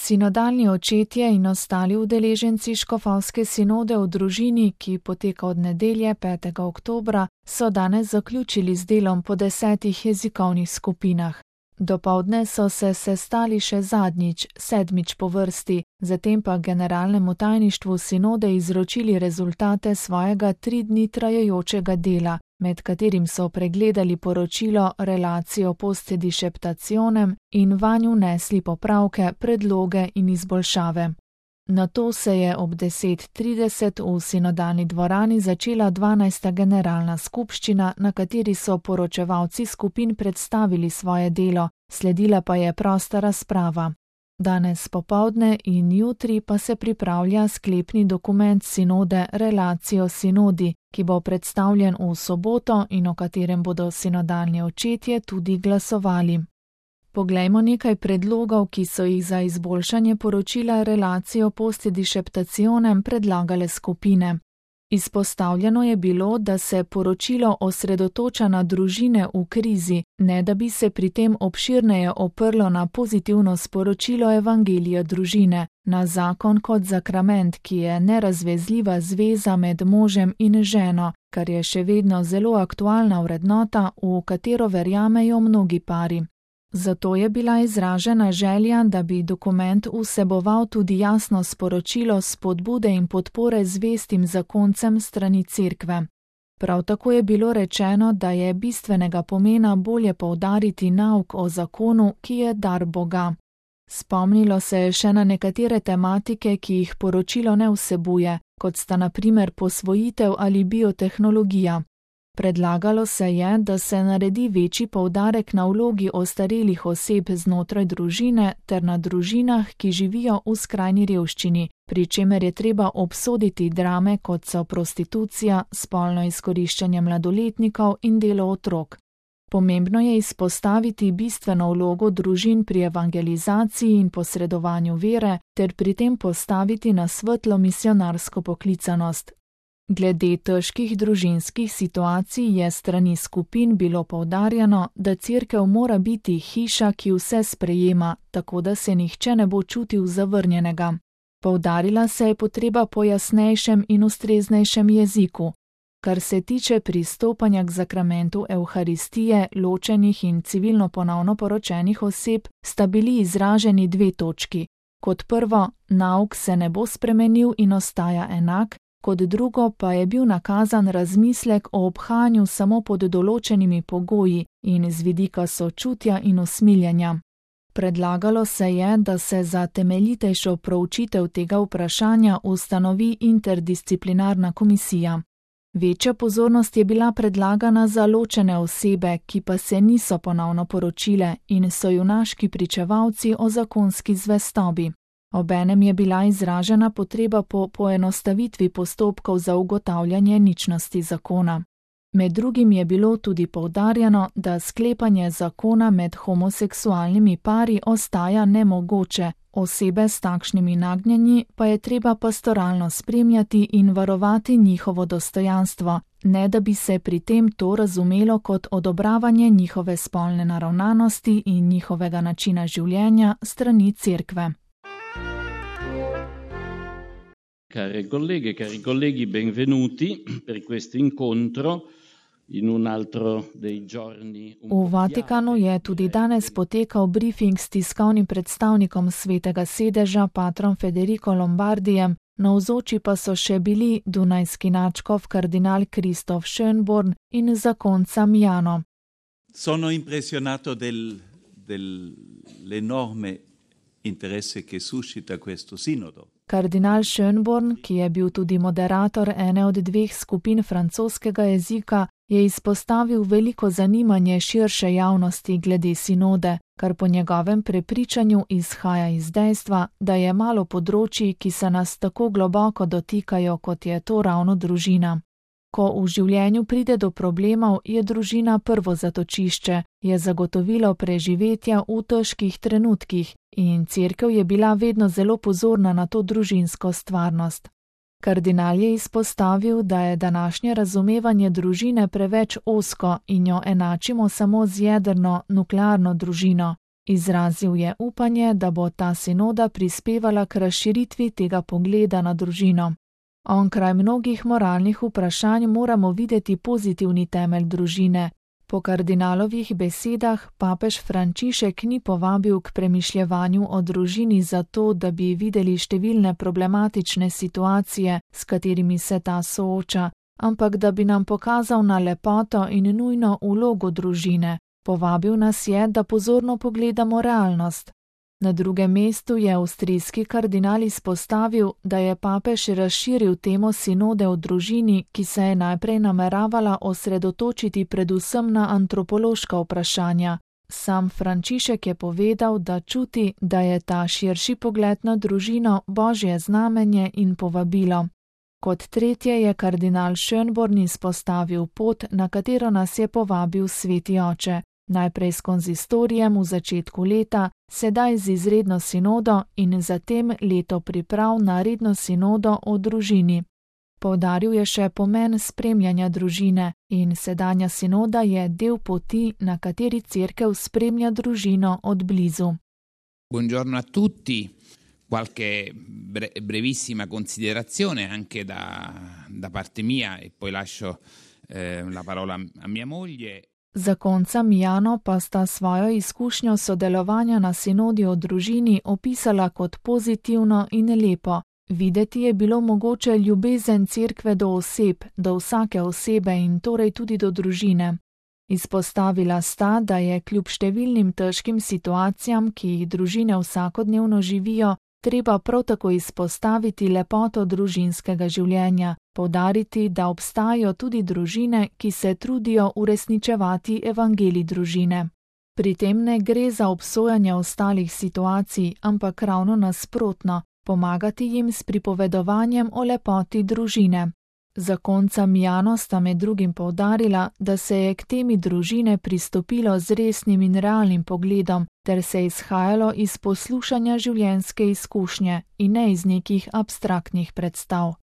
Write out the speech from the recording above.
Sinodalni očetje in ostali udeleženci škofovske sinode v družini, ki poteka od nedelje 5. oktobra, so danes zaključili z delom po 10 jezikovnih skupinah. Dopoldne so se sestali še zadnjič, 7. po vrsti, zatem pa generalnemu tajništvu sinode izročili rezultate svojega 3 dni trajajočega dela, med katerim so pregledali poročilo Relatio post disceptationem in vanj vnesli popravke, predloge in izboljšave. Nato se je ob 10:30 v sinodalni dvorani začela 12. generalna skupščina, na kateri so poročevalci skupin predstavili svoje delo, sledila pa je prosta razprava. Danes popoldne in jutri pa se pripravlja sklepni dokument sinode Relatio Synodi, ki bo predstavljen v soboto in o katerem bodo sinodalni očetje tudi glasovali. Poglejmo nekaj predlogov, ki so jih za izboljšanje poročila Relatio post disceptationem predlagale skupine. Izpostavljeno je bilo, da se poročilo osredotoča na družine v krizi, ne da bi se pri tem obširneje oprlo na pozitivno sporočilo evangelija družine, na zakon kot sakrament, ki je nerazvezljiva zveza med možem in ženo, kar je še vedno zelo aktualna vrednota, v katero verjamejo mnogi pari. Zato je bila izražena želja, da bi dokument vseboval tudi jasno sporočilo spodbude in podpore zvestim zakoncem strani Cerkve. Prav tako je bilo rečeno, da je bistvenega pomena bolje poudariti nauk o zakonu, ki je dar Boga. Spomnilo se je še na nekatere tematike, ki jih poročilo ne vsebuje, kot sta na primer posvojitev ali biotehnologija. Predlagalo se je, da se naredi večji poudarek na vlogi ostarelih oseb znotraj družine ter na družinah, ki živijo v skrajni revščini, pri čemer je treba obsoditi drame, kot so prostitucija, spolno izkoriščanje mladoletnikov in delo otrok. Pomembno je izpostaviti bistveno vlogo družin pri evangelizaciji in posredovanju vere ter pri tem postaviti na svetlo misionarsko poklicanost. Glede težkih družinskih situacij je strani skupin bilo poudarjeno, da Cerkev mora biti hiša, ki vse sprejema, tako da se nihče ne bo čutil zavrnjenega. Poudarila se je potreba po jasnejšem in ustreznejšem jeziku. Kar se tiče pristopanja k sakramentu Evharistije, ločenih in civilno ponovno poročenih oseb, sta bili izraženi 2 točki. Kot prvo, nauk se ne bo spremenil in ostaja enak, kot drugo pa je bil nakazan razmislek o obhajanju samo pod določenimi pogoji in z vidika sočutja in usmiljenja. Predlagalo se je, da se za temeljitejšo proučitev tega vprašanja ustanovi interdisciplinarna komisija. Večja pozornost je bila predlagana za ločene osebe, ki pa se niso ponovno poročile in so junaški pričevalci o zakonski zvestobi. Obenem je bila izražena potreba po poenostavitvi postopkov za ugotavljanje ničnosti zakona. Med drugim je bilo tudi poudarjeno, da sklepanje zakona med homoseksualnimi pari ostaja nemogoče, osebe s takšnimi nagnjenji pa je treba pastoralno spremljati in varovati njihovo dostojanstvo, ne da bi se pri tem to razumelo kot odobravanje njihove spolne naravnanosti in njihovega načina življenja strani Cerkve. Care colleghe, cari colleghi, benvenuti per questo incontro in un altro dei giorni. V Vatikanu je tudi danes potekal briefing s tiskovnim predstavnikom Svetega sedeža, patrom Federico Lombardijem, navzoči pa so še bili dunajski nadškof kardinal Christoph Schönborn in zakonca Mjano. Sono impressionato dell'enorme interesse che suscita questo sinodo. Kardinal Schönborn, ki je bil tudi moderator ene od 2 skupin francoskega jezika, je izpostavil veliko zanimanje širše javnosti glede sinode, kar po njegovem prepričanju izhaja iz dejstva, da je malo področij, ki se nas tako globoko dotikajo, kot je to ravno družina. Ko v življenju pride do problemov, je družina prvo zatočišče, je zagotovilo preživetja v težkih trenutkih in Cerkev je bila vedno zelo pozorna na to družinsko stvarnost. Kardinal je izpostavil, da je današnje razumevanje družine preveč ozko in jo enačimo samo z jedrno, nuklearno družino Izrazil je upanje, da bo ta sinoda prispevala k razširitvi tega pogleda na družino. Onkraj mnogih moralnih vprašanj moramo videti pozitivni temelj družine. Po kardinalovih besedah papež Frančišek ni povabil k premišljevanju o družini zato, da bi videli številne problematične situacije, s katerimi se ta sooča, ampak da bi nam pokazal na lepoto in nujno vlogo družine. Povabil nas je, da pozorno pogledamo realnost. Na drugem mestu je avstrijski kardinal izpostavil, da je papež razširil temo sinode o družini, ki se je najprej nameravala osredotočiti predvsem na antropološka vprašanja. Sam Frančišek je povedal, da čuti, da je ta širši pogled na družino božje znamenje in povabilo. Kot tretje je kardinal Schönborn izpostavil pot, na katero nas je povabil Sveti Oče. Najprej s konzistorijem v začetku leta, sedaj z izredno sinodo in zatem leto priprav na redno sinodo o družini. Poudaril je še pomen spremljanja družine in sedanja sinoda je del poti, na kateri cerkev spremlja družino od blizu. Buongiorno a tutti. Qualche brevissima considerazione anche da parte mia e poi lascio la parola a mia moglie. Zakonca Mijano pa sta svojo izkušnjo sodelovanja na sinodi o družini opisala kot pozitivno in lepo. Videti je bilo mogoče ljubezen cerkve do oseb, do vsake osebe in torej tudi do družine. Izpostavila sta, da je kljub številnim težkim situacijam, ki jih družine vsakodnevno živijo, treba prav tako izpostaviti lepoto družinskega življenja, poudariti, da obstajajo tudi družine, ki se trudijo uresničevati evangelij družine. Pri tem ne gre za obsojanje ostalih situacij, ampak ravno nasprotno, pomagati jim s pripovedovanjem o lepoti družine. Zakonca Mijano sta med drugim poudarila, da se je k temi družine pristopilo z resnim in realnim pogledom, ter se izhajalo iz poslušanja življenjske izkušnje in ne iz nekih abstraktnih predstav.